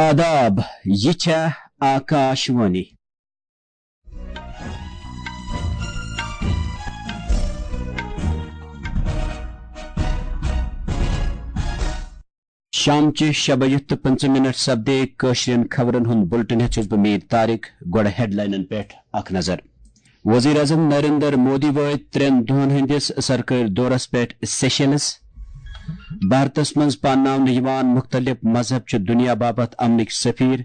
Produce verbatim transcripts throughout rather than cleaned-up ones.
آداب، یہِ چھےٚ آکاش وانی۔ شامچہِ شےٚ بجہِ تہٕ پٕنٛژٕہ منٹ سپدے کٲشرٮ۪ن خبرن ہُنٛد بُلٹن ہٮ۪تھ چھُس بہٕ میٖر طارق۔ گۄڈٕ ہیڈلاینن پٮ۪ٹھ اکھ نظر۔ وزیر اعظم نریندر مودی وٲتۍ ترٛٮ۪ن دۄہن ہٕنٛدِس سرکٲرۍ دورس پٮ۪ٹھ سیشلز۔ بھارتس منٛز پانناونہٕ یِوان مُختٔلِف مذہب چھِ دُنیا باپتھ امنٕکۍ سفیر۔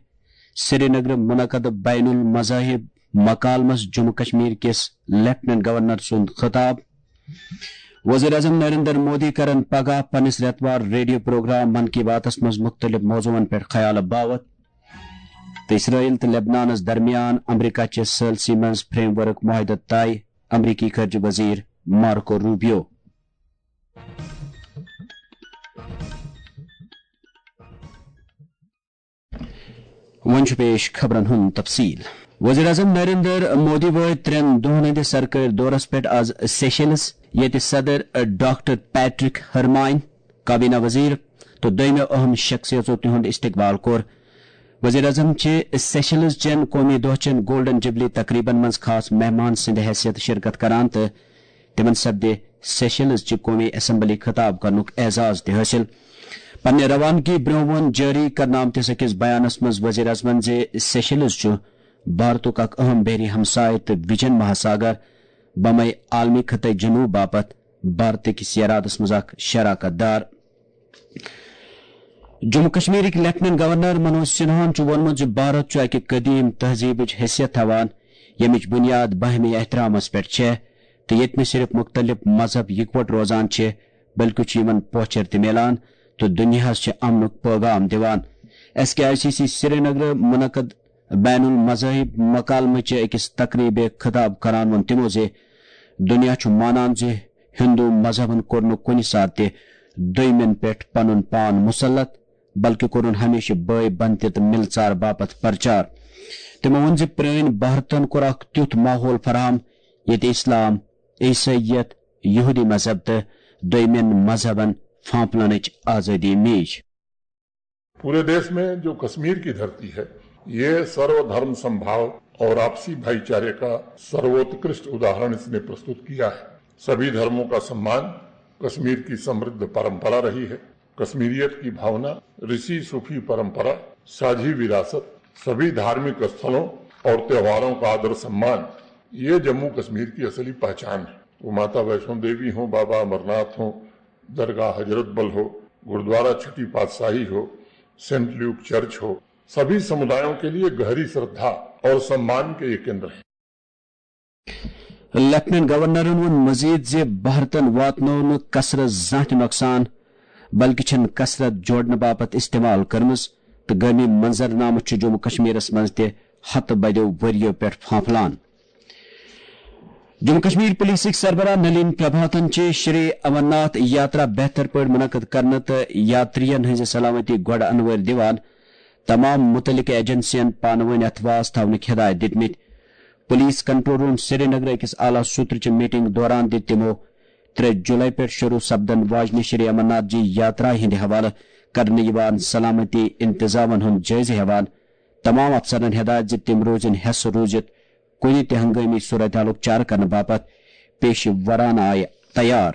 سرینگرٕ منعقد بین المذاہب مکالمس جموں کشمیر کِس لیفٹیننٹ گورنر سُنٛد خطاب۔ وزیر اعظم نریندر مودی کرن پگاہ پننِس رٮ۪توار ریڈیو پروگرام من کی باتس منٛز مُختٔلِف موضوعن پٮ۪ٹھ خیال باوت۔ تہٕ اسرائیل تہٕ لبنانس درمیان امریکہ چہِ ثالثی منٛز فریم ورک معاہدٕ طے، امریکی خارجہ وزیر مارکو روبیو۔ وۄنۍ چھُ پیش خبرن ہُنٛد تفصیل۔ وزیر اعظم نریندر مودی وٲتۍ ترٛٮ۪ن دۄہن ہٕنٛدِس سرکٲرۍ دورس پٮ۪ٹھ آز سیشلز، ییٚتہِ صدر ڈاکٹر پیٹرک ہرمائن، کابینہ وزیر تہٕ دوٚیمٮ۪و اہم شخصیژو تِہُنٛد استقبال کوٚر۔ وزیر اعظم چھِ سیشلز چٮ۪ن قومی دۄہ چٮ۪ن گولڈن جوبلی تقریبن منٛز خاص مہمان سٕنٛدِ حیثیت شرکت کران تہٕ تِمن سپدِ سیشلز چہِ قومی اسمبلی خطاب کرنُک اعزاز تہِ حٲصِل۔ پننہِ روانگی برٛونٛہہ ووٚن جٲری کرنہٕ آمتِس أکِس بیانس منٛز وزیر اعظمن زِ سیشلز چھُ بھارتُک اکھ اہم بحری ہمسایہِ تہٕ وجن مہاساگر بمے عالمی خطے جنوب باپتھ بھارتٕکِس ارادس منٛز اکھ شراکت دار۔ جموں کشمیرٕکۍ لیفٹیننٹ گورنر منوج سنہاہن چھُ ووٚنمُت زِ بھارت چھُ اکہِ قدیم تہذیبٕچ حیثیت تھاوان، ییٚمِچ بنیاد باہمی احترامس پٮ۪ٹھ چھےٚ تہٕ ییٚتہِ نہٕ صرف مُختٔلِف مذہب یکوٹہٕ روزان چھِ، بلکہِ چھُ یِمن پوچھر تہِ میلان تہٕ دُنیاہس چھِ امنُک پٲغام دِوان۔ S K I C C سرینگرٕ منعقد بین المذاہب مکالمہٕ چہِ أکِس تقریبہِ خطاب کران ووٚن تِمو زِ دُنیا چھُ مانان زِ ہندو مذہبن کوٚر نہٕ کُنہِ ساتہٕ تہِ دوٚیمٮ۪ن پٮ۪ٹھ پنُن پان مسلط، بلکہِ کوٚرُن ہمیشہِ بٲے بنتہِ تہٕ مِلژار باپتھ پرچار۔ تِمو ووٚن زِ پرٛٲنۍ بھارتن کوٚر اکھ تیُتھ ماحول فراہم، ییٚتہِ اسلام، عیسائیت، یہودی مذہب تہٕ دوٚیمٮ۪ن مذہبن پھانپلنٕچ آزٲدی میج۔ पूरे देश में जो कश्मीर की धरती है, ये सर्वधर्म संभाव और आपसी भाईचारे का सर्वोत्कृष्ट उदाहरण इसने प्रस्तुत किया है। सभी धर्मों का सम्मान कश्मीर की समृद्ध परंपरा रही है। कश्मीरियत की भावना, ऋषि सूफी परंपरा, साझी विरासत, सभी धार्मिक स्थलों और त्योहारों का आदर सम्मान, ये जम्मू कश्मीर की असली पहचान है। वो माता वैष्णो देवी हों, बाबा अमरनाथ हों, दरगाह हजरत बल हो, गुरुद्वारा छोटी पातशाही हो, सेंट ल्यूक चर्च हो, सभी समुदायों के लिए गहरी श्रद्धा और सम्मान के ये केंद्र हैं। لیفٹیننٹ گورنرن ووٚن مزید زِ بھارتن واتنوو نہٕ کثرت زانٛہہ تہِ نۄقصان، بلکہِ چھَن کثرت جوڑنہٕ باپتھ استعمال کٔرمٕژ تہٕ گٲمی منظرنامہٕ چھُ جموں کشمیرس منٛز تہِ ہتہٕ بدیو ؤرۍیو پٮ۪ٹھ پھانپھلان۔ جموں کشمیر پولیسٕکۍ سربراہ نلین پربھاتن چھِ شری امرناتھ یاترا بہتر پٲٹھۍ منعقد کرنہٕ تہٕ یاترین ہٕنٛزِ سلامتی گۄڈٕ انوٲرۍ دِوان تمام مُتعلقہٕ ایجنسین پانہٕ وٲنۍ اتھواس تھاونٕکۍ ہدایت دِتمٕتۍ۔ پولیس کنٹرول روم سرینگرٕ أکِس اعلیٰ سوترٕچہِ میٹنگ دوران دِتۍ تِمو ترٛےٚ جولائی پٮ۪ٹھ شروع سپدن واجنہِ شری امرناتھ جی یاترا ہٕنٛدِ حوالہٕ کرنہٕ یِوان سلامتی انتظامن ہُنٛد جٲیزٕ ہٮ۪وان تمام افسرن ہدایت زِ تِم روزن حٮ۪س روٗزِتھ کُنہِ تہِ ہنگٲمی صورتحالُک چارٕ کرنہٕ باپتھ پیشہٕ ورانہٕ آیہِ تیار۔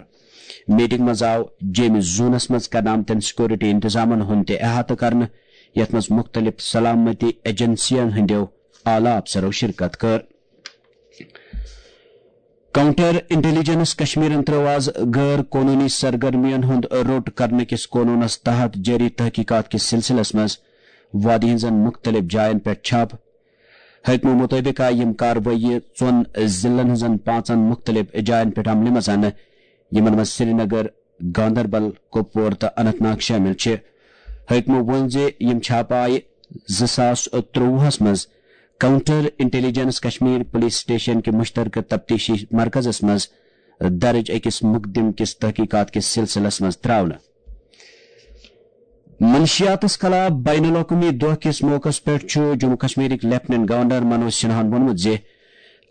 میٹنگ منٛز آو جیمہِ زونس منٛز کرنہٕ آمتٮ۪ن سیکورٹی انتظامن ہُنٛد تہِ احاطہٕ کرنہٕ، یتھ منٛز مُختٔلِف سلامتی ایجنسین ہٕنٛدٮ۪و اعلیٰ افسرو شرکت کٔر۔ کاؤنٹر انٹیلیجنس کشمیرن ترٲو آز غٲر قونوٗنی سرگرمین ہُنٛد روٚٹ کرنہٕ کِس قونوٗنس تحت جٲری تحقیقات کِس سلسلس منٛز وادی ہٕنٛزن مُختٔلِف جاین پٮ۪ٹھ چھاپہٕ۔ حٲکمو مُطٲبِق آیہِ یِم کاروٲیی ژۄن ضلعن ہٕنٛزن پانٛژن مُختٔلِف جاین پٮ۪ٹھ عملہِ منٛز اننہٕ، یِمن منٛز سرینگر، گاندربل، کۄپوور تہٕ اننت ناگ شٲمِل چھِ۔ حٲکمو ووٚن زِ یِم چھاپہٕ آیہِ زٕ ساس ترٛۆوُہس منٛز counter intelligence Kashmir police station کہِ مشترکہٕ تفتیشی مرکزس منٛز درج أکِس مقدمہٕ کِس تحقیقات کِس سلسلس منٛز ترٛاونہٕ۔ منشیاتس خلاف بین الاقوٲمی دۄہ کِس موقعس پٮ۪ٹھ چھُ جموں کشمیرٕکۍ لیفٹیننٹ گورنر منوج سنہاہن ووٚنمُت زِ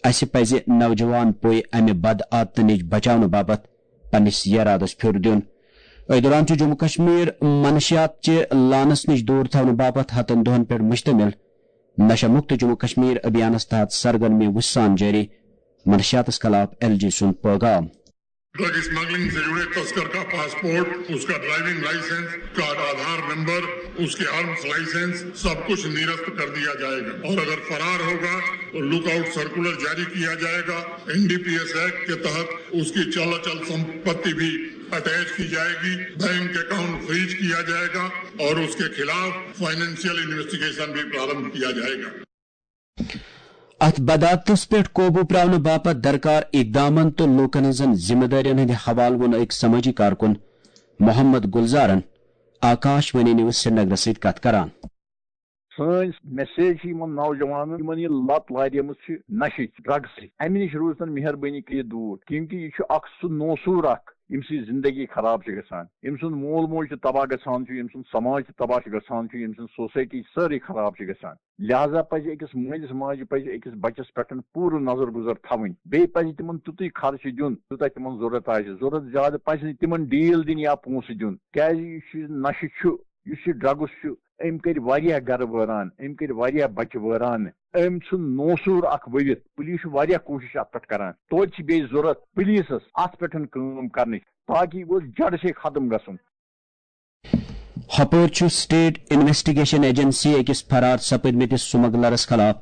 اسہِ پزِ نوجوان پُے امہِ بد عادتہٕ نِش بچاونہٕ باپتھ پننِس یرادس پھیُر دیُن۔ أتھۍ دوران چھُ جموں کشمیر منشیات چہِ لعنس نِش دوٗر تھاونہٕ باپتھ ہتن دۄہن پٮ۪ٹھ مشتمل نشہ مکت جموں کشمیر ابھیانس تحت سرگرمی وُژھ سان جٲری۔ منشیاتس خلاف ایل جی سُنٛد پیغام۔ ڈرگ اسمگلنگ سے جڑے تسکر کا پاسپورٹ، اس کا ڈرائیونگ لائسنس، اس کا آدھار نمبر، اس کے آرمز لائسنس، سب کچھ نرست کر دیا جائے گا اور اگر فرار ہوگا تو لک آؤٹ سرکولر جاری کیا جائے گا۔ N D P S act کے تحت اس کی چل اچل سمپتی بھی اٹیچ کی جائے گی، بینک اکاؤنٹ فریز کیا جائے گا اور اس کے خلاف فائنینشیل انویسٹیگیشن بھی پرارمبھ کیا جائے گا۔ اتھ بدعتس پٮ۪ٹھ قوبو پراونہٕ باپتھ درکار اقدامن تہٕ لوٗکن ہٕنٛزن ذمہٕ دٲرین ہٕنٛدِ حوالہٕ ووٚن أکۍ سمٲجی کارکُن محمد گلزارن آکاش وانی نیوز سرینگرس سۭتۍ کتھ کران۔ سٲنۍ میسیج چھِ یِمن نوجوانن، یِمن یہِ لت لاریمٕژ چھِ نشٕچ، ڈرگسٕچ، امہِ نِش روٗزتن مہربٲنی کٔرِتھ دوٗر، کیونکہ یہِ چھُ اکھ سُہ نوسوٗر اکھ، ییٚمہِ سۭتۍ زندگی خراب چھِ گژھان، ییٚمہِ سُنٛد مول موج تہِ تباہ گژھان چھُ، ییٚمہِ سُنٛد سماج تہِ تباہ چھُ گژھان چھُ، ییٚمہِ سٕنٛز سوسایٹی سٲرٕے خراب چھِ گژھان۔ لہذا پزِ أکِس مٲلِس ماجہِ پزِ أکِس بچس پٮ۪ٹھ پوٗرٕ نظر گُزر تھاوٕنۍ۔ بیٚیہِ پزِ تِمن تیُتُے خرچہٕ دیُن، یوٗتاہ تِمن ضروٗرت آسہِ۔ ضروٗرت زیادٕ پزِ نہٕ تِمن ڈیٖل دِنۍ یا پونٛسہٕ دیُن، کیازِ یُس یہِ نشہٕ چھُ، یُس یہِ ڈرگس چھُ، أمۍ کٔرۍ واریاہ گرٕ وٲران، أمۍ کٔرۍ واریاہ بچہِ وٲران۔ أمۍ ژھُن نوسوٗر اکھ ؤوِتھ۔ پُلیٖس چھُ واریاہ کوٗشِش اتھ پٮ۪ٹھ کران۔ توتہِ چھِ بیٚیہِ ضروٗرت پُلیٖسس اتھ پٮ۪ٹھ کٲم کرنٕچ، تاکہ یہِ گوٚژھ جڑٕ سے ختم گژھُن۔ ہپٲرۍ چھُ سٹیٹ انویسٹیگیشن ایجنسی أکِس فرار سپٕدمٕتِس سمگلرس خلاف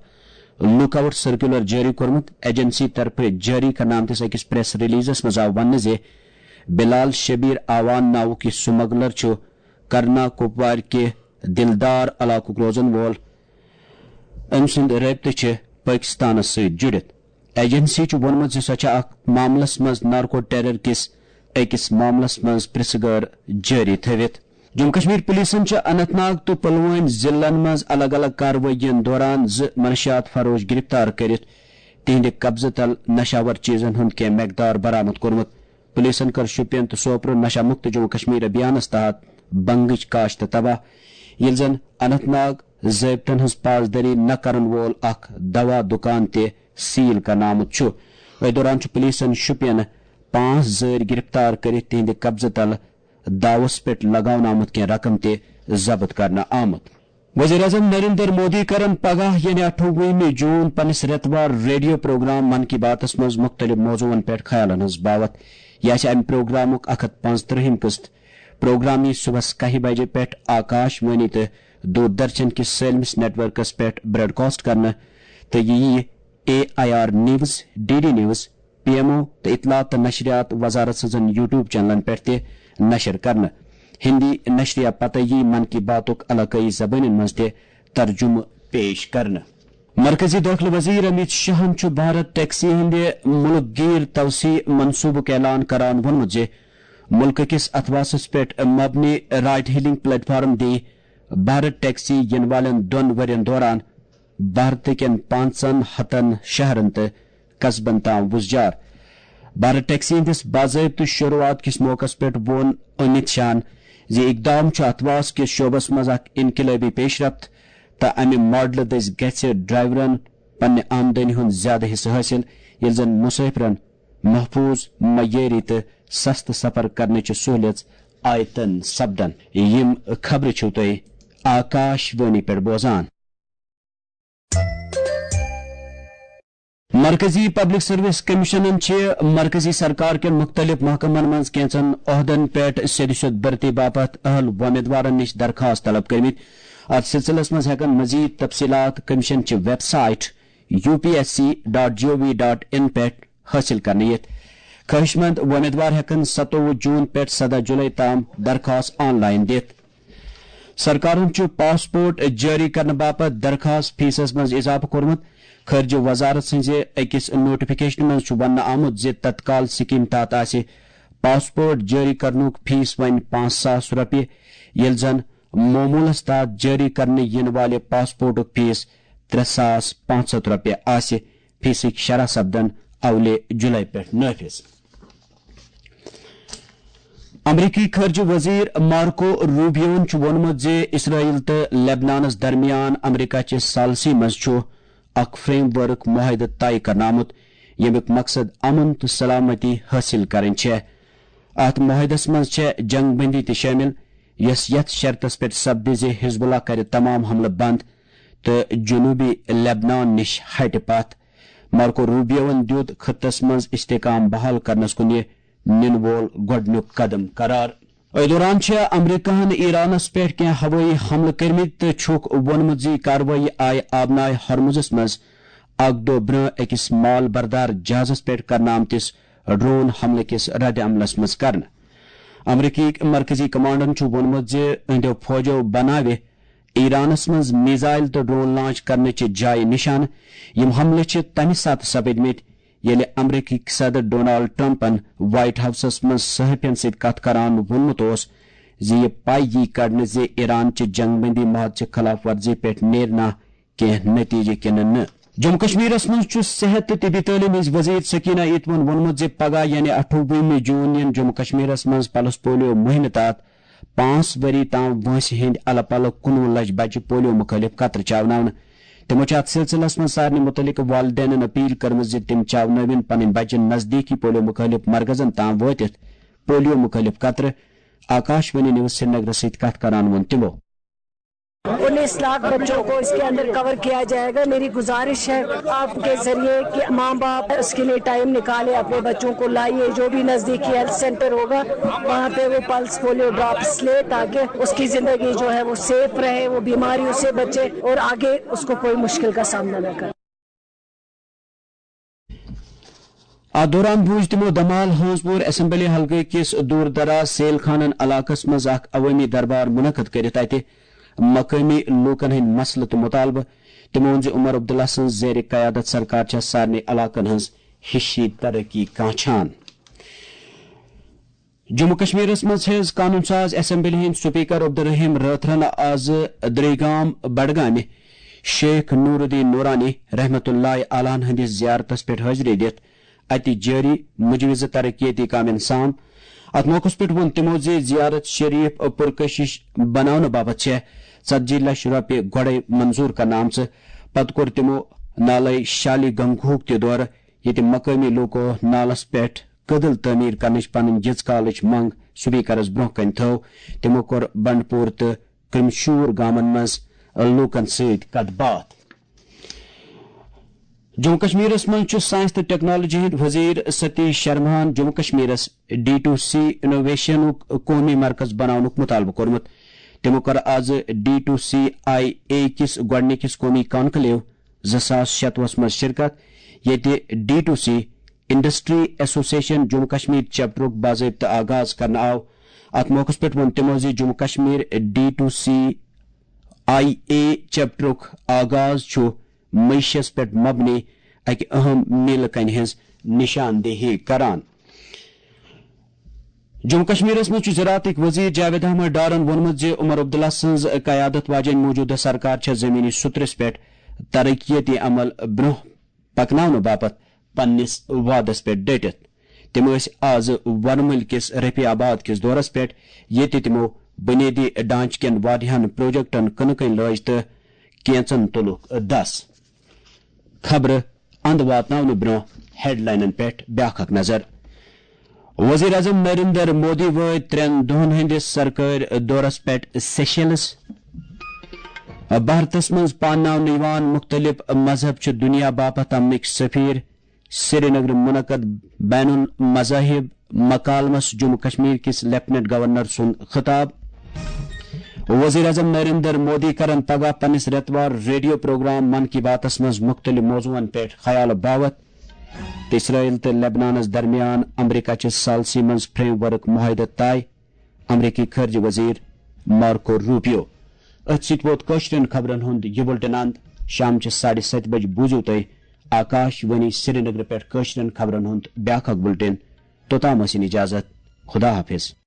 لک آؤٹ سرکولر جٲری کوٚرمُت۔ ایجنسی طرفہٕ جٲری کرنہٕ آمتِس أکِس پریس ریلیزس منٛز آو وننہٕ زِ بلال شبیر آوان ناوُک یہِ سمگلر چھُ کرنا کوپوارِ کہِ دلدار علاقُک روزن وول۔ أمۍ سُنٛد رٲبطہٕ چھِ پٲکِستانَس سۭتۍ جُڑِتھ۔ ایجنسی چھُ ووٚنمُت زِ سۄ چھےٚ اَتھ معاملَس منٛز نارکو ٹیرر کِس أکِس معاملَس منٛز پرٛژھٕ گٲر جٲری تھٲوِتھ۔ جموں کشمیر پولیسَن چھِ اننت ناگ تہٕ پلوٲمۍ ضلعن منٛز الگ الگ کاروٲیین دوران زٕ منشیات فروش گرفتار کٔرِتھ تِہنٛدِ قبضہٕ تل نشاور چیزن ہُنٛد کینٛہہ مقدار برآمد کوٚرمُت۔ پولیسن کٔر شوپین تہٕ سوپرٕ نشہ مکت جموں کشمیر ابھیانس تحت بنگٕچ کاشت تباہ، ییٚلہِ زن اننت ناگ ضٲبطن ہٕنٛز پاسدٲری نہ کرن وول اکھ دوا دُکان تہِ سیل کرنہٕ آمُت چھُ۔ أتھۍ دوران چھُ پولیسن شوپینہٕ پانٛژھ زٲرۍ گرفتار کٔرِتھ تِہنٛدِ قبضہٕ تل داوس پٮ۪ٹھ لگاونہٕ آمُت کینٛہہ رقم تہِ ضبط کرنہٕ آمُت۔ وزیر اعظم نریندر مودی کرن پگاہ یعنی اٹھووُہمہِ جون پننِس رٮ۪توار ریڈیو پروگرام من کی باتس منٛز مُختٔلِف موضوعن پٮ۪ٹھ خیالن ہٕنٛز باوتھ۔ یہِ آسہِ امہِ پروگرامُک اکھ ہتھ پانٛژترٕہِم قسط۔ پروگرام یِیہِ صبحس کاہہِ بجہِ پٮ۪ٹھ آکاش وانی تہٕ دوردرشن کِس سٲلمِس نیٹ ورکس پٮ۪ٹھ براڈکاسٹ کرنہٕ تہٕ یہِ یِیہِ A I R news, D D news, P M O تہٕ اطلاعات تہٕ نشریات وزارت سٕنٛزن یوٹیوب چینلن پٮ۪ٹھ تہِ نشر کرنہٕ۔ ہندی نشریہ پتہٕ یِیہِ من کی باتُک علاقٲیی زبٲنٮ۪ن منٛز تہِ ترجمہٕ پیش کرنہٕ۔ مرکزی دٲخلہٕ وزیر امیت شاہن چھُ بھارت ٹیکسی ہٕنٛدِ مُلک گیر توسیع منصوبُک اعلان کران ووٚنمُت زِ مُلکہٕ کِس اتھواسس پٮ۪ٹھ مبنی رائٹ ہیلنگ پلیٹ فارم دِیہِ بھارت ٹیکسی یِنہٕ والٮ۪ن دۄن ؤرین دوران بھارتہٕ کٮ۪ن پانٛژن ہتن شہرن تہٕ قصبن تام وُزجار۔ بھارت ٹیکسی ہٕنٛدِس باضٲبطہٕ شروٗعات کِس موقعس پٮ۪ٹھ ووٚن امیت شاہن زِ اقدام چھُ اتھواس کِس شعبس منٛز اکھ انقلٲبی پیشرفت تہٕ امہِ ماڈلہٕ دٔسۍ گژھِ ڈرائیورن پننہِ آمدنی ہُنٛد زیادٕ حصہٕ حٲصِل، ییٚلہِ زن مسافرن محفوظ، معیٲری تہٕ سستہٕ سفر کرنٕچہِ سہولیژ آیتن سپدن۔ یِم خبرٕ چھِو تُہۍ آکاش وانی پٮ۪ٹھ بوزان۔ مرکزی پبلک سروس کمیشنن چھِ مرکزی سرکار کٮ۪ن مُختٔلِف محکمن منٛز کینٛژن عہدن پٮ۪ٹھ سیٚدِ سیوٚد بھرتی باپتھ اہل وۄمیدوارن نِش درخواست طلب کٔرمٕتۍ۔ اتھ سلسلس منٛز ہٮ۪کن مزید تفصیلات کمیشن چہِ website U P S C dot G O V dot in پٮ۪ٹھ حٲصِل کرنہٕ یِتھ۔ خٲہِش مند وۄمیدوار ہٮ۪کن ستووُہ جون پٮ۪ٹھ سداہ جولائی تام درخواست آن لائن دِتھ۔ سرکارن چھُ پاسپورٹ جٲری کرنہٕ باپتھ درخواست فیسس منٛز اضافہٕ کوٚرمُت۔ خارجہ وزارت سٕنٛزِ أکِس نوٹیفکیشنہِ منٛز چھُ وننہٕ آمُت زِ تتکال سکیٖم تحت آسہِ پاسپورٹ جٲری کرنُک فیس وۄنۍ پانٛژھ ساس رۄپیہِ، ییٚلہِ زن معموٗلس تحت جٲری کرنہٕ یِنہٕ والہِ پاسپورٹُک فیس ترٛےٚ ساس پانٛژھ ہتھ رۄپیہِ آسہِ۔ فیسٕکۍ شرح سپدن اولہِ جولائی پٮ۪ٹھ نافذ۔ امریکی خارجہ وزیر مارکو روبیوَن چھُ ووٚنمُت زِ اسرائیل تہٕ لبنانَس درمیان امریکہ چہِ ثالثی منٛز چھُ اکھ فریم ورک معاہدٕ طے کرنہٕ آمُت، ییٚمیُک مقصد امن تہٕ سلامتی حٲصِل کرٕنۍ چھےٚ۔ اتھ معاہدس منٛز چھےٚ جنگ بندی تہِ شٲمِل، یۄس یتھ شرطس پٮ۪ٹھ سپدِ زِ حزب اللہ کرِ تمام حملہٕ بند تہٕ جنوبی لبنان نِش ہٹہِ پتھ۔ مارکو روبیوَن دیُت خطس منٛز استحکام بحال کرنس کُن یہِ نِنہٕ وول گۄڈٕنیُک قدم قرار۔ أتھۍ دوران چھِ امریکہَن ایرانس پٮ۪ٹھ کینٛہہ ہوٲیی حملہٕ کٔرمٕتۍ تہٕ چھُکھ ووٚنمُت زِ یہِ کاروٲیی آیہِ آبنائے ہرمزس منٛز اکھ دۄہ برٛونٛہہ أکِس مال بردار جہازس پٮ۪ٹھ کرنہٕ آمتِس ڈرون حملہٕ کِس رد عملس منٛز کرنہٕ۔ امریکی مرکزی کمانڈن چھُ ووٚنمُت زِ أہنٛدیو فوجو بناوِ ایرانس منٛز میزائل تہٕ ڈرون لانچ کرنٕچہِ جایہِ نشانہٕ۔ یِم حملہٕ چھِ تمہِ ساتہٕ سپٕدمٕتۍ، ییٚلہِ امریکی صدر ڈونالڈ ٹرمپن وائٹ ہاؤسس منٛز صحافین سۭتۍ کتھ کران ووٚنمُت اوس زِ یہِ پاے یی کڑنہٕ زِ ایران چہِ جنگ بندی معاہدٕ چہِ خلاف ورزی پٮ۪ٹھ نیرنا کینٛہہ نتیجہٕ کِنہٕ نہٕ۔ جموں کشمیرس منٛز چھُ صحت تہٕ طبی تعلیٖم ہٕنٛز وزیر سکینہ ایتون ووٚنمُت زِ پگاہ یعنی اَٹھووُہمہِ جون یِن جموں کشمیرس منٛز پلس پولیو مُہِمہِ تحت پانٛژھ ؤری تام وٲنٛسہِ ہٕنٛدۍ الہٕ پلہٕ کُنوُہ لچھ بچہِ پولیو مُخٲلِف قطرٕ چاوناونہٕ۔ تِمو چھِ اتھ سلسلس منٛز سارنٕے مُتعلقہٕ والدینن اپیل کٔرمٕژ زِ تِم چاونٲوِن پنٕنۍ بچہِ نزدیٖکی پولیو مُخٲلِف مرکزن تام وٲتِتھ پولیو مُخٲلِف قطرٕ۔ آکاش وانی نیوز سرینگرس سۭتۍ کتھ کران ووٚن تِمو۔ انیس لاکھ بچوں کو اس کے اندر کور کیا جائے گا۔ میری گزارش ہے آپ کے ذریعے کہ ماں باپ اس کے لیے ٹائم نکالے، اپنے بچوں کو لائیے، جو بھی نزدیکی ہیلتھ سینٹر ہوگا وہاں پہ وہ پلس پولیو ڈراپس لے، تاکہ اس کی زندگی جو ہے وہ سیف رہے، وہ بیماریوں سے بچے اور آگے اس کو کوئی مشکل کا سامنا نہ کرے۔ اتھ دوران بوٗز تِمو دمال ہٲنزپوٗر اسمبلی حلقہٕ کِس دوٗر دراز سیل خانن علاقس منٛز اکھ عوٲمی دربار منعقد کٔرِتھ اتہِ مقٲمی لوٗکن ہٕنٛدۍ مسلہٕ تہٕ مُطالبہٕ۔ تِمو ووٚن زِ عمر عبداللہ سٕنٛز زیر قیادت سرکار چھےٚ سارنٕے علاقن ہٕنٛز ہِشی ترقی کانچھان۔ جموں کشمیرس منٛز ہیٚژ قانون ساز اسمبلی ہٕنٛدۍ سپیکر عبدالرحیم رٲتھرن آز دریگام بڈگامہِ شیخ نور الدین نورانی رحمت اللہ علیہ ہٕنٛدِس زیارتس پٮ۪ٹھ حٲضری دِتھ اتہِ جٲری مجوزٕ ترقیتی کامٮ۪ن سام۔ اتھ موقعس پٮ۪ٹھ ووٚن تِمو زِ زیارت شریف پرکشش بناونہٕ باپتھ چھےٚ ژتجی لچھ رۄپیہِ گۄڈے منظور کرنہٕ آمژٕ۔ پتہٕ کوٚر تِمو نالے شالی گنگوہُک تہِ دورٕ، ییٚتہِ مقٲمی لوٗکو نالس پٮ۪ٹھ کٔدٕل تعمیٖر کرنٕچ پنٕنۍ جِژ کالٕچ منٛگ سپیکرس برٛونٛہہ کنہِ تھٲو۔ تِمو کوٚر بنڈپور تہٕ کرمشور گامن منٛز لوٗکن سۭتۍ کتھ باتھ۔ جموں کشمیرس منٛز چھُ ساینس تہٕ ٹیکنالوجی ہٕنٛدۍ وزیر ستیش شرماہن جموں کشمیرس ڈی ٹو سی انوویشنُک قومی مرکز بناونُک مطالبہٕ کوٚرمُت۔ تِمو کٔر آز D to C I A کِس گۄڈٕنِکِس قومی کانکلیو زٕ ساس شتوُہس منٛز شرکت، ییٚتہِ D to C industry association Jammu Kashmir چیپٹرُک باضٲبطہٕ آغاز کرنہٕ آو۔ اتھ موقعس پٮ۪ٹھ ووٚن تِمو زِ Jammu Kashmir D to C I A چیپٹرُک آغاز چھُ معیشس پٮ۪ٹھ مبنی اکہِ اہم میلہٕ کنہِ ہٕنٛز نشاندہی کران۔ جموں کشمیرس منٛز چھُ زراعتٕکۍ وزیر جاوید احمد ڈارن ووٚنمُت زِ عمر عبداللہ سٕنٛز قیادت واجیٚنۍ موجودٕ سرکار چھےٚ زمینی سطرس پٮ۪ٹھ ترقیتی عمل برٛونٛہہ پکناونہٕ باپتھ پننِس وعدس پٮ۪ٹھ ڈٔٹِتھ۔ تِم ٲسۍ آز ورمُلۍ کِس رفیع آباد کِس دورس پٮ۪ٹھ، ییٚتہِ تِمو بنیٲدی ڈھانچہٕ کٮ۪ن واریاہن پروجیکٹن کٕنہٕ کٔنۍ لٲج تہٕ کینژن تُلُکھ دس۔ خبرٕ اند واتناونہٕ برٛونٛہہ ہیڈلاینن پٮ۪ٹھ بیاکھ اکھ نظر۔ وزیر اعظم نریندر مودی وٲتۍ ترٛٮ۪ن دۄہن ہٕنٛدِس سرکٲرۍ دورس پٮ۪ٹھ سیشلز۔ بھارتس منٛز پانناونہٕ یِوان مُختٔلِف مذہب چھِ دُنیا باپتھ امنٕکۍ سفیر۔ سرینگرٕ منعقد بین المذاہب مکالمس جموں کشمیر کِس لیفٹیننٹ گورنر سُنٛد خطاب۔ وزیر اعظم نریندر مودی کرن پگاہ پننِس رٮ۪توار ریڈیو پروگرام من کی باتس منٛز مُختٔلِف موضوعن پٮ۪ٹھ خیال باوت۔ تہٕ اسرائیل تہٕ لبنانس درمیان امریکہ چہِ ثالثی منٛز فریم ورک معاہدٕ طے۔ امریکی خارجہ وزیر مارکو روبیو۔ أتھۍ سۭتۍ ووت کٲشرٮ۪ن خبرن ہُنٛد یہِ بُلٹن اند۔ شام چہِ ساڑِ ستہِ بجہِ بوٗزِو تُہۍ آکاش وانی سرینگرٕ پٮ۪ٹھ کٲشرٮ۪ن خبرن ہُنٛد بیاکھ اکھ بُلٹن۔ توٚتام ٲسِن اجازت۔ خدا حافظ۔